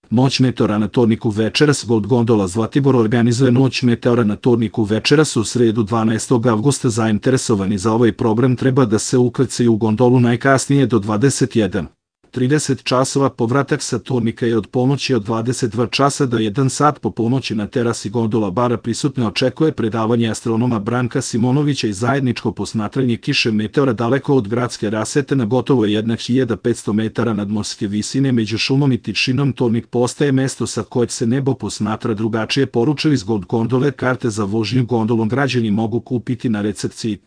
Noć meteora na Torniku večeras. Gold gondola Zlatibor organizuje Noć meteora na Torniku večeras u sredu 12. avgusta. Zainteresovani za ovaj program treba da se ukrcaju u gondolu najkasnije do 21:30 časova. Povratak sa Tornika je od ponoći od 22 časa do 1 sat po ponoći na terasi gondola bara. Prisutne očekuje predavanje astronoma Branka Simonovića i zajedničko posmatranje kiše meteora daleko od gradske rasvete na gotovo 1500 metara nadmorske visine. Među šumom i tišinom Tornik postaje mesto sa kojeg se nebo posmatra drugačije, poručuju iz Gold gondole. Karte za vožnju gondolom građani mogu kupiti na recepciji